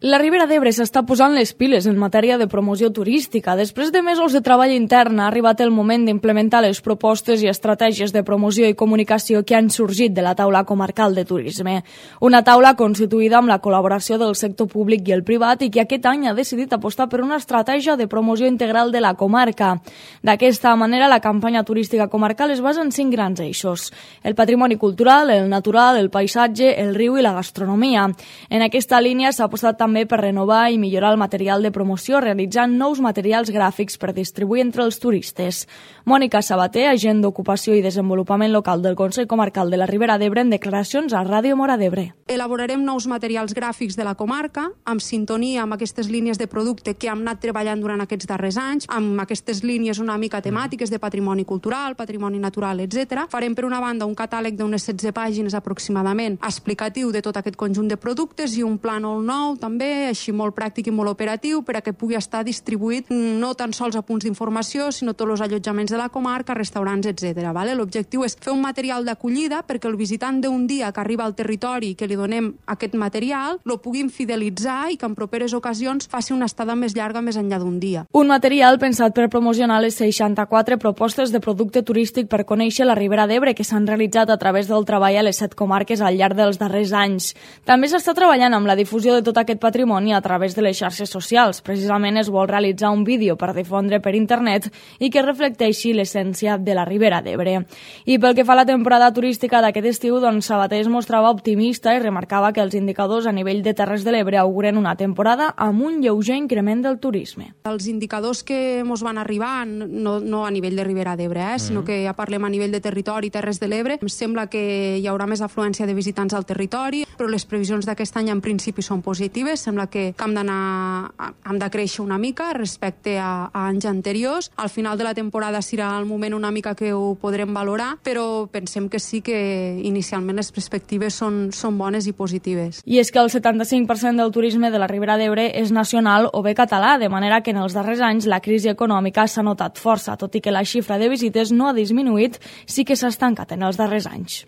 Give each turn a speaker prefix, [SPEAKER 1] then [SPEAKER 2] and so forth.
[SPEAKER 1] La Ribera d'Ebre s'està posant les piles en matèria de promoció turística. Després de mesos de treball intern ha arribat el moment d'implementar les propostes i estratègies de promoció i comunicació que han sorgit de la taula comarcal de turisme. Una taula constituïda amb la col·laboració del sector públic i el privat i que aquest any ha decidit apostar per una estratègia de promoció integral de la comarca. D'aquesta manera, la campanya turística comarcal es basa en 5 grans eixos: el patrimoni cultural, el natural, el paisatge, el riu i la gastronomia. En aquesta línia s'ha apostat també per renovar i millorar el material de promoció, realitzant nous materials gràfics per distribuir entre els turistes. Mònica Sabater, agent d'Ocupació i Desenvolupament Local del Consell Comarcal de la Ribera d'Ebre, en declaracions a Ràdio Móra d'Ebre.
[SPEAKER 2] Elaborarem nous materials gràfics de la comarca, amb sintonia amb aquestes línies de producte que hem anat treballant durant aquests darrers anys, amb aquestes línies una mica temàtiques de patrimoni cultural, patrimoni natural, etc. Farem, per una banda, un catàleg d'unes 16 pàgines aproximadament explicatiu de tot aquest conjunt de productes i un plànol nou, també, així molt pràctic i molt operatiu, per a que pugui estar distribuït no tan sols a punts d'informació, sinó tots els allotjaments de la comarca, restaurants, etc. L'objectiu és fer un material d'acollida perquè el visitant d'un dia que arriba al territori i que li donem aquest material, lo puguin fidelitzar i que en properes ocasions faci una estada més llarga més enllà d'un dia.
[SPEAKER 1] Un material pensat per promocionar les 64 propostes de producte turístic per conèixer la Ribera d'Ebre que s'han realitzat a través del treball a les 7 comarques al llarg dels darrers anys. També s'està treballant amb la difusió de tot aquest patrimoni a través de les xarxes socials. Precisament es vol realitzar un vídeo per difondre per internet i que reflecteixi l'essència de la Ribera d'Ebre. I pel que fa a la temporada turística d'aquest estiu, Sabater es mostrava optimista i remarcava que els indicadors a nivell de Terres de l'Ebre auguren una temporada amb un lleuger increment del turisme.
[SPEAKER 2] Els indicadors que ens van arribar, no a nivell de Ribera d'Ebre, sinó que ja parlem a nivell de territori, Terres de l'Ebre, em sembla que hi haurà més afluència de visitants al territori, però les previsions d'aquest any en principi són positives. Sembla que hem de créixer una mica respecte a anys anteriors. Al final de la temporada serà el moment una mica que ho podrem valorar, però pensem que sí que inicialment les perspectives són bones i positives.
[SPEAKER 1] I és que el 75% del turisme de la Ribera d'Ebre és nacional o bé català, de manera que en els darrers anys la crisi econòmica s'ha notat força, tot i que la xifra de visites no ha disminuït, sí que s'ha estancat en els darrers anys.